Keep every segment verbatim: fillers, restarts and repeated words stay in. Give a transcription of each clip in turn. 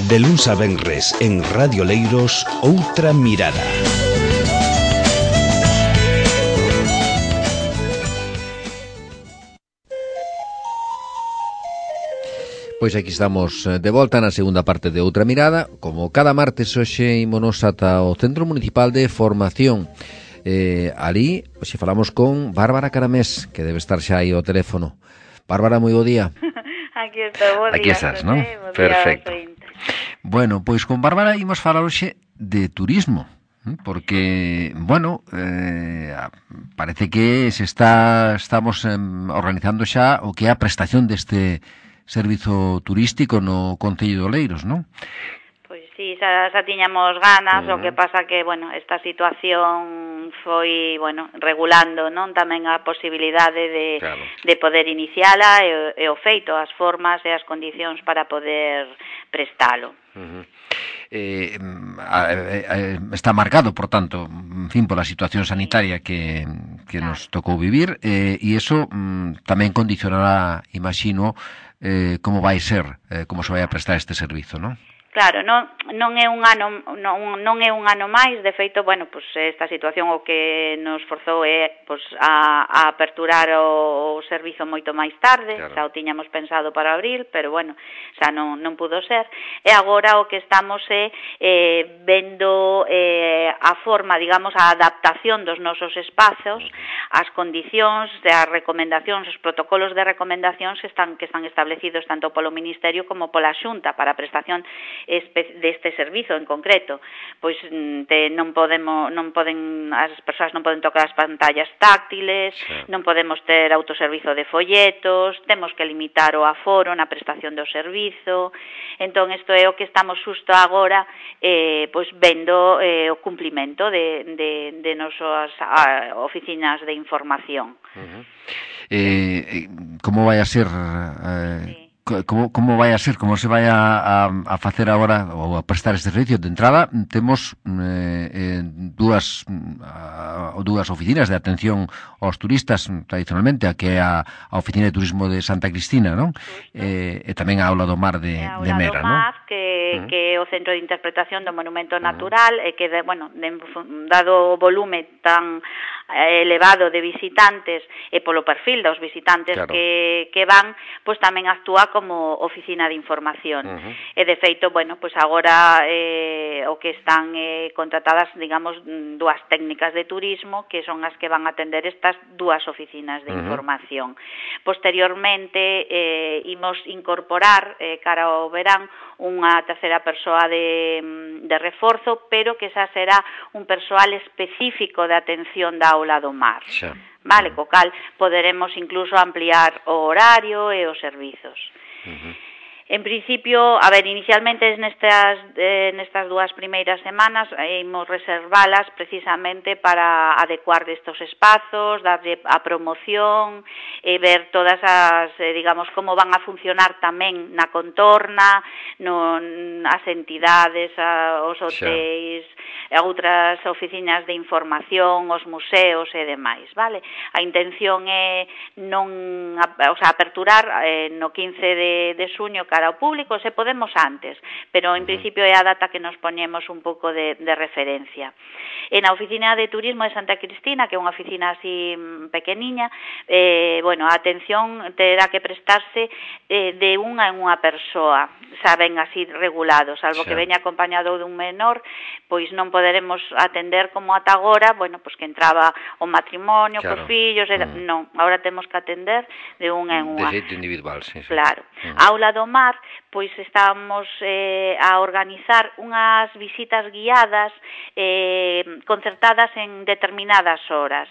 De luns a venres en Radio Leiros, Outra Mirada. Pois aquí estamos de volta na segunda parte de Outra Mirada. Como cada martes, hoxe ímonos ata o Centro Municipal de Formación. Eh, ali, hoxe falamos con Bárbara Caramés, que debe estar xa aí ao teléfono. Bárbara, moi bo día. Aquí estou, bo día. Aquí estás, non? Perfecto. Bueno, pois con Bárbara ímos falar hoxe de turismo, porque, bueno, eh, parece que se está estamos eh, organizando xa o que é a prestación deste servizo turístico no Concello de Oleiros, non? Pois sí, xa, xa tiñamos ganas, uh-huh. O que pasa que, bueno, esta situación foi, bueno, regulando, non? Tamén a posibilidade de, claro. de poder iniciala e, e o feito, as formas e as condicións para poder prestalo. Uh-huh. Eh, eh, está marcado, por tanto, en fin, pola situación sanitaria que, que claro. nos tocou vivir, eh, e iso mm, tamén condicionará, imagino, eh, como vai ser, eh, como se vai a prestar este servizo, non? Claro, non, non é un ano non, non é un ano máis, de feito, bueno, pues esta situación o que nos forzou é pues, a, a aperturar o, o servizo moito máis tarde, claro. Xa o tiñamos pensado para abril, pero bueno, xa non, non pudo ser, e agora o que estamos é eh, vendo eh, a forma, digamos, a adaptación dos nosos espazos, as condicións, as recomendacións, os protocolos de recomendacións que están, que están establecidos tanto polo Ministerio como pola Xunta para a prestación deste servizo en concreto, pois te, non podemos, non poden, as persoas non poden tocar as pantallas táctiles, sí. Non podemos ter autoservizo de folletos, temos que limitar o aforo na prestación do servizo. Entón isto é o que estamos xusto agora eh, pois vendo eh, o cumplimento de, de, de nosas a, oficinas de información. Uh-huh. eh, como vai a ser eh... sí. Como, como vai a ser, como se vai a, a, a facer agora ou a prestar este servicio? De entrada temos eh, eh, dúas a, dúas oficinas de atención aos turistas tradicionalmente, a que é a, a oficina de turismo de Santa Cristina, non? Eh, e tamén a Aula do Mar de, de Mera, non? Mar, que, uh-huh. que é o centro de interpretación do monumento natural, uh-huh. e que, de, bueno, de, dado o volume tan elevado de visitantes e polo perfil dos visitantes claro. que, que van, pois tamén actúa como oficina de información. Uh-huh. E de feito, bueno, pois agora eh, o que están eh, contratadas, digamos, dúas técnicas de turismo que son as que van a atender estas dúas oficinas de uh-huh. información. Posteriormente, eh, imos incorporar eh, cara ao verán unha terceira persoa de, de reforzo, pero que xa será un persoal específico de atención da Aula do Mar. Xa. Vale, co cal poderemos incluso ampliar o horario e os servizos. Uh-huh. En principio, a ver, inicialmente nestas, eh, nestas dúas primeiras semanas eh, imos reservalas precisamente para adecuar destos espazos, darlle a promoción e ver todas as, eh, digamos, como van a funcionar tamén na contorna, no, as entidades, a, os hotéis, a outras oficinas de información, os museos e demais, vale? A intención é non, a, o sea, aperturar eh, no quince de, de xuño cara ao público, se podemos antes, pero en principio é a data que nos poñemos un pouco de, de referencia. En a oficina de turismo de Santa Cristina, que é unha oficina así pequeniña, eh, bueno, a atención terá que prestarse eh, de unha en unha persoa, saben, así regulado, salvo sí. que veña acompañado dun menor, pois non poderemos atender como ata agora, bueno, pois que entraba o matrimonio, claro. cos fillos, era, mm. non, agora temos que atender de unha en unha. De xeito individual, sí, sí. Claro. Mm. Aula do Mar, pois estamos eh, a organizar unhas visitas guiadas eh, concertadas en determinadas horas,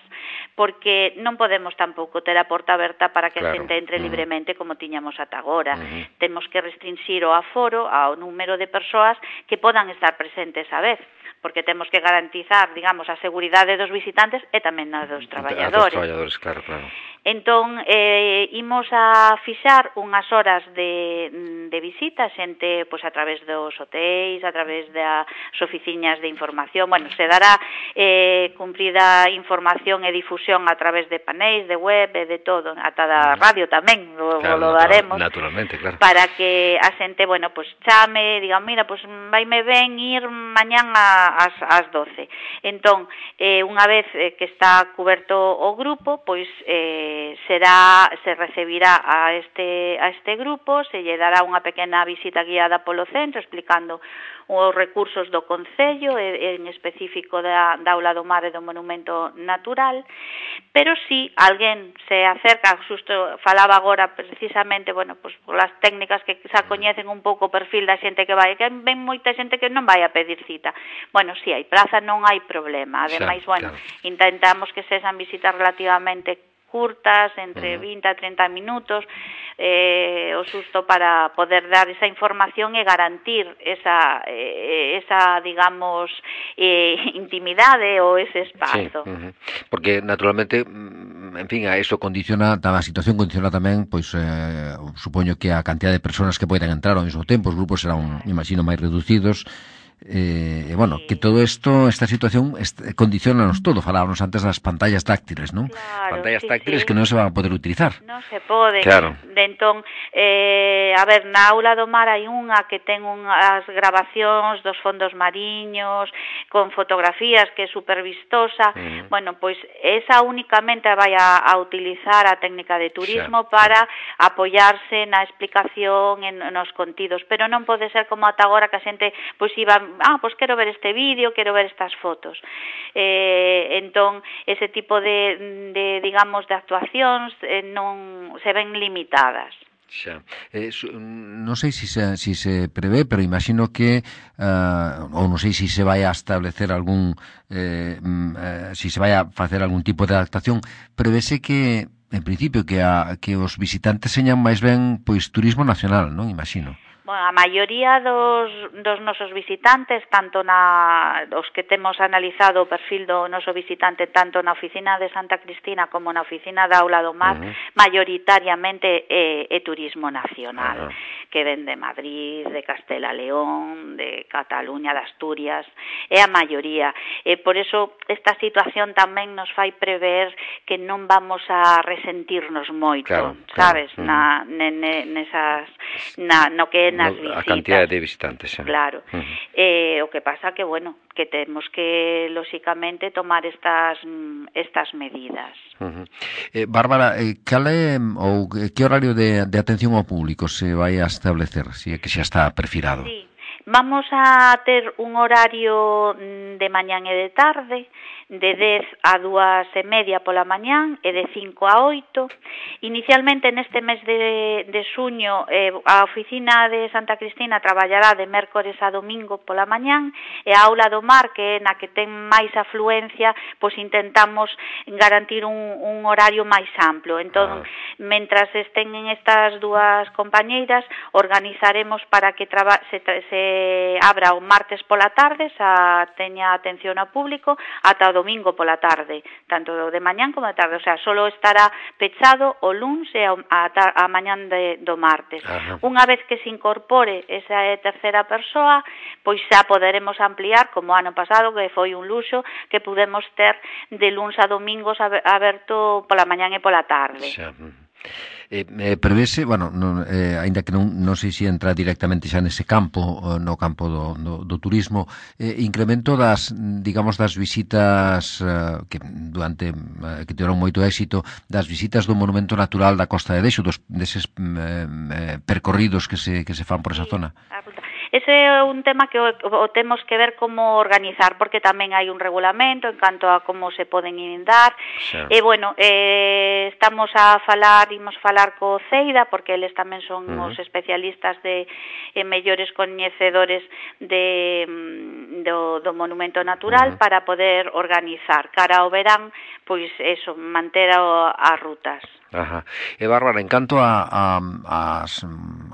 porque non podemos tampouco ter a porta aberta para que claro. a xente entre uh-huh. libremente como tiñamos ata agora. Uh-huh. Temos que restringir o aforo ao número de persoas que podan estar presentes a vez, porque temos que garantizar, digamos, a seguridade dos visitantes e tamén a dos traballadores. A dos traballadores, claro, claro. Entón, eh, imos a fixar unhas horas guías de, de visita, xente pois a través dos hotéis, a través das oficinas de información, bueno, se dará eh, cumprida información e difusión a través de panéis, de web, e de todo, ata da radio tamén, lo, claro, lo daremos, naturalmente, claro, para que a xente, bueno, pois chame, diga, mira, pois vaime ben ir mañán ás, ás doce. Entón, eh, unha vez eh, que está cuberto o grupo, pois eh, será, se recibirá a este, a este grupo, se lle dará unha pequena visita guiada polo centro, explicando os recursos do Concello, en específico da, da Aula do Mar e do Monumento Natural, pero si alguén se acerca, xusto falaba agora precisamente, bueno, pois polas técnicas que xa coñecen un pouco o perfil da xente que vai, que ven moita xente que non vai a pedir cita. Bueno, si hai praza non hai problema, ademais, xa, bueno, claro, intentamos que sexan visitas relativamente curtas, entre vinte a treinta minutos, eh, o susto para poder dar esa información e garantir esa, eh, esa digamos, eh, intimidade ou ese espazo. Sí, uh-huh. Porque, naturalmente, en fin, a eso condiciona, a situación condiciona tamén, pois, eh, supoño que a cantidad de persoas que poden entrar ao mesmo tempo, os grupos serán, imagino, máis reducidos. Eh, bueno, sí. Que todo esto, esta situación condicionanos todo, falábamos antes das pantallas táctiles, non? Claro, pantallas sí, táctiles sí. Que non se van a poder utilizar. Non se pode. Claro. De entón, eh, a ver, na Aula do Mar hai unha que ten unhas grabacións dos fondos mariños, con fotografías, que é super vistosa. Mm. Bueno, pois esa únicamente vai a, a utilizar a técnica de turismo, xa, para xa. apoiarse na explicación, en, nos contidos, pero non pode ser como ata agora que a xente pois iba, ah, pois quero ver este vídeo, quero ver estas fotos. Eh, entón, ese tipo de, de digamos, de actuacións eh, non se ven limitadas. Xa. Eh, su, non sei se se, si se prevé, pero imagino que uh, ou non sei se se vai a establecer algún eh, uh, si se vai a facer algún tipo de adaptación, prevese que en principio que a, que os visitantes señan máis ben pois turismo nacional, non? Imagino. Bueno, a maioría dos, dos nosos visitantes, tanto na os que temos analizado o perfil do noso visitante tanto na oficina de Santa Cristina como na oficina da Aula do Mar, uh-huh. maioritariamente é, é turismo nacional, uh-huh. que ven de Madrid, de Castela León, de Cataluña, de Asturias, é a maioría. E por eso esta situación tamén nos fai prever que non vamos a resentirnos moito, claro, sabes, claro. na, ne, ne, nesas, na, no que é nas no, visitas. A cantidad de visitantes, xa. Claro. Uh-huh. Eh, o que pasa que, bueno, que temos que, lóxicamente, tomar estas estas medidas. Uh-huh. Eh, Bárbara, eh, cal é, ou que horario de, de atención ao público se vai a establecer, se é que xa está perfilado? Sí. Vamos a ter un horario de mañán e de tarde, de dez a dúas e media pola mañán e de cinco a oito. Inicialmente neste mes de, de xuño eh, a oficina de Santa Cristina traballará de mércores a domingo pola mañán e a Aula do Mar, que é na que ten máis afluencia, pois intentamos garantir un, un horario máis amplo. Entón, ah. mentras estén en estas dúas compañeiras, organizaremos para que traba, se, se abra o martes pola tarde, xa teña atención ao público, ata o domingo pola tarde, tanto de mañán como de tarde, o sea, solo estará pechado o luns e a, a, a mañán de, do martes. Ajá. Unha vez que se incorpore esa terceira persoa, pois xa poderemos ampliar, como ano pasado, que foi un luxo, que pudemos ter de luns a domingos aberto pola mañán e pola tarde. Xa. Eh, eh, prevese, bueno, non, eh, ainda que non, non sei se entra directamente xa nese campo, no campo do, do, do turismo, eh, incremento das, digamos, das visitas eh, que durante eh, que tiveron moito éxito, das visitas do Monumento Natural da Costa de Dexo, dos deses eh, eh, percorridos que se, que se fan por esa zona. Ese é un tema que o, o temos que ver como organizar, porque tamén hai un regulamento en canto a como se poden inundar. Sí. E, bueno, eh, estamos a falar, imos falar co CEIDA, porque eles tamén son uh-huh. os especialistas de eh, mellores coñecedores de, do, do monumento natural, uh-huh. para poder organizar cara ao verán, pois eso, manter o, as rutas. Ajá. E Bárbara, en canto a, a, as,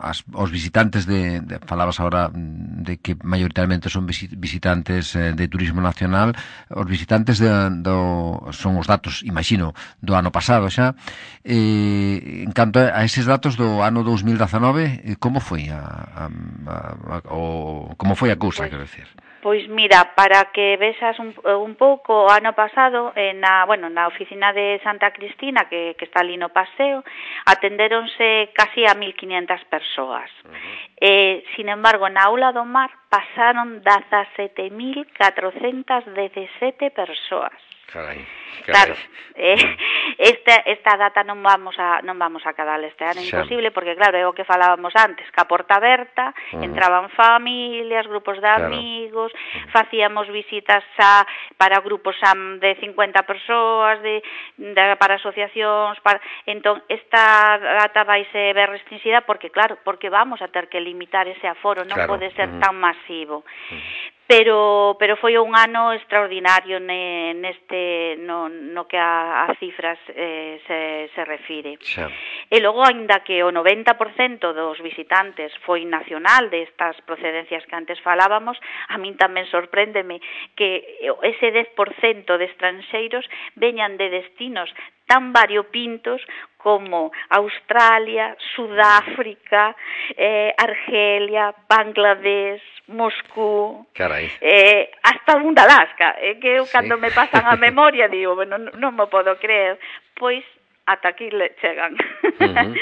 as, os visitantes de, de falabas ahora de que maioritariamente son visitantes eh, de turismo nacional, os visitantes de, do, son os datos, imagino, do ano pasado xa. Eh, en canto a eses datos do ano dous mil dezanove, como foi a, a, a, a o, como foi a cousa, pues, quero decir? Pois mira, para que vexas un, un pouco, o ano pasado, eh, na, bueno, na oficina de Santa Cristina, que, que está ali no paseo, atendéronse casi a mil quinientas persoas. Uh-huh. Eh, sin embargo, na aula do mar pasaron dezasete mil catrocentas dezasete persoas. Carai, Claro, carai. eh, esta, esta data non vamos a non vamos a cadar este ano, imposible, porque claro, é o que falábamos antes, que a porta aberta, uh-huh. entraban familias, grupos de claro. amigos, uh-huh. facíamos visitas a, para grupos a, de cincuenta persoas, de, de para asociacións, para, entón esta data vai ser ver restringida porque claro, porque vamos a ter que limitar ese aforo, non claro. pode ser uh-huh. tan masivo. Uh-huh. Pero pero foi un ano extraordinario ne, neste no, no que a, a cifras eh, se, se refire. Xa. E logo, aínda que o noventa por cento dos visitantes foi nacional de estas procedencias que antes falábamos, a min tamén sorpréndeme que ese dez por cento de estranxeiros veñan de destinos tan variopintos como Australia, Sudáfrica, eh, Argelia, Bangladesh, Moscú, Carai. Eh, hasta un de Alaska, eh, que eu sí. cando me pasan a memoria digo, bueno, non, non me podo creer, pois ata aquí le chegan. Uh-huh.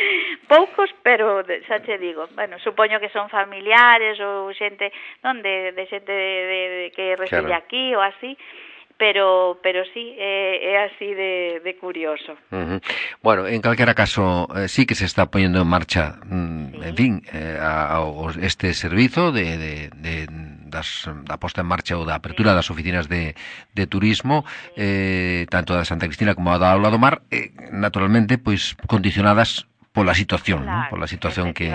Poucos, pero xa che digo, bueno, supoño que son familiares ou xente, non, de, de xente de, de, de que reside claro. aquí ou así, pero pero sí, é, é así de, de curioso. Uh-huh. Bueno, en calquera caso, eh, sí que se está poñendo en marcha, mm, sí. en fin, eh, a, a, este servizo de, de, de das, da posta en marcha ou da apertura sí. das oficinas de, de turismo, sí. eh, tanto da Santa Cristina como da Aula do Mar, eh, naturalmente, pois, condicionadas pola situación, claro, ¿no? Pola situación que...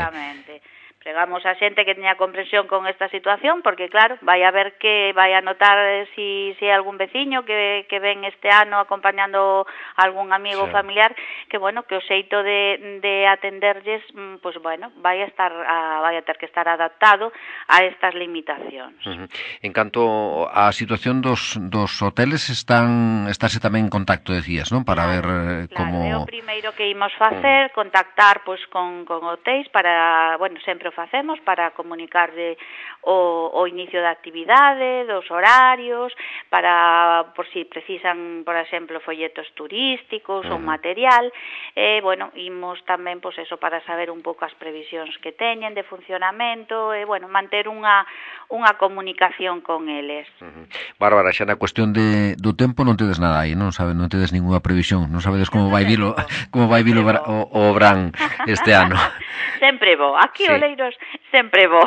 Pregamos a xente que teña comprensión con esta situación, porque claro, vai a ver que vai a notar si, si hai algún veciño que, que ven este ano acompañando a algún amigo sí. familiar, que bueno, que o xeito de, de atenderlles, pues bueno, vai a estar a, vai a ter que estar adaptado a estas limitacións. Uh-huh. En canto á situación dos, dos hoteles, están estarse tamén en contacto, decías, non? Para claro, ver eh, claro, como... é o primeiro que imos facer, uh-huh. contactar pues con, con hotéis para, bueno, sempre facemos para comunicarle o, o inicio da actividade, dos horarios, para por si precisan, por exemplo, folletos turísticos uh-huh. ou material, e, bueno, imos tamén, pois, eso, para saber un pouco as previsións que teñen de funcionamento, e, bueno, manter unha, unha comunicación con eles. Uh-huh. Bárbara, xa na cuestión de, do tempo non tedes nada aí, non sabe, non tedes ninguna previsión, non sabedes como vai vilo, como vai vilo o, o Brán este ano. Sempre vou, aquí sí. o Leiros sempre vou.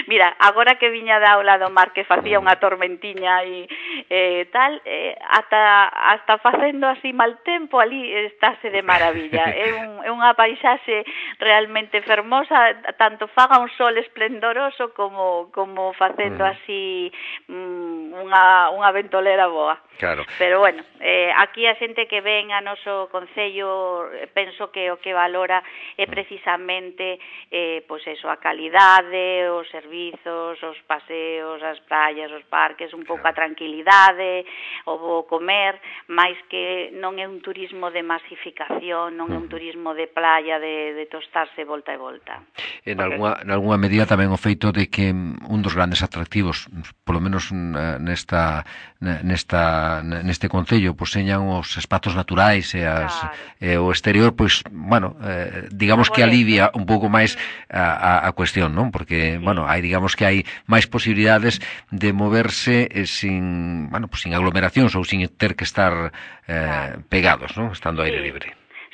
Mira, agora que viña da Aula do Mar que facía unha tormentiña e eh, tal, eh, ata, hasta facendo así mal tempo ali estáse de maravilla. É, un, é unha paisaxe realmente fermosa, tanto faga un sol esplendoroso como, como facendo mm. así mm, unha, unha ventolera boa. Claro. Pero bueno, eh, aquí a xente que ven a noso concello, penso que o que valora é precisamente eh, pois eso, a calidade, os servizos, os paseos, as praias, os parques, un pouco a tranquilidade, o bo comer, máis que non é un turismo de masificación, non é un turismo de playa, de, de tostarse volta e volta. En algunha, en algunha medida tamén o feito de que un dos grandes atractivos, polo menos nesta nesta neste concello, pois señan os espazos naturais e, as, claro. e o exterior, pois, bueno, eh, digamos que alivia un pouco máis a, a, a cuestión, non? Porque, sí. bueno, hai, digamos que hai máis posibilidades de moverse eh, sin, bueno, pues sin aglomeracións ou sin ter que estar eh, pegados, non? Estando aire sí. libre.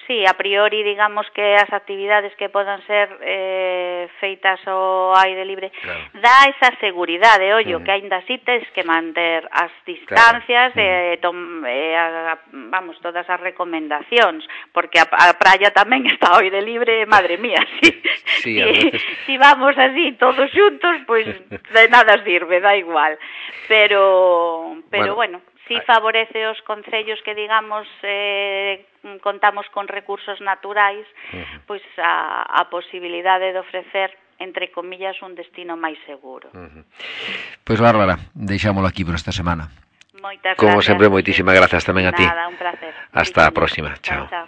Sí, a priori, digamos que as actividades que podan ser eh, feitas ao aire libre claro. dá esa seguridade, ollo, mm. que aínda así tes que manter as distancias claro. e, tom, e a, vamos, todas as recomendacións, porque a, a praia tamén está ao aire libre, madre mía, si, sí, si, veces... si vamos así todos xuntos, pois pues, de nada sirve, dá igual, pero, pero bueno, bueno si favorece os concellos que, digamos, eh, contamos con recursos naturais, uh-huh. pois a, a posibilidade de ofrecer, entre comillas, un destino máis seguro. Uh-huh. Pois, Bárbara, deixámolo aquí por esta semana. Moitas gracias. Como sempre, moitísimas grazas tamén a ti. Nada, un placer. Hasta a próxima. Chao. Chao, chao.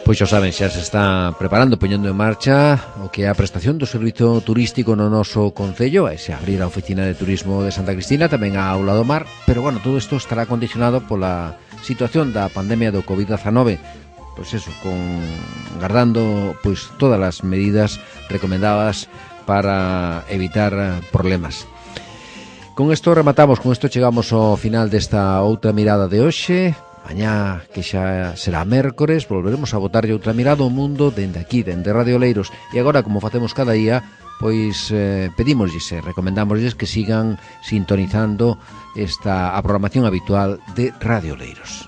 Pois xa saben, xa se está preparando, poñendo en marcha o que é a prestación do servizo turístico no noso concello. Vai se abrir a oficina de turismo de Santa Cristina, tamén a Aula do Mar, pero bueno, todo isto estará condicionado pola situación da pandemia do covid diecinueve. Pois eso, con guardando pois todas as medidas recomendadas para evitar problemas. Con isto rematamos, con isto chegamos ao final desta outra mirada de hoxe. Mañá, que xa será mércores, volveremos a botarlle outra mirada ao mundo dende aquí, dende Radio Oleiros. E agora, como facemos cada día, pois eh, pedímoslles e recomendámoslles que sigan sintonizando esta a programación habitual de Radio Oleiros.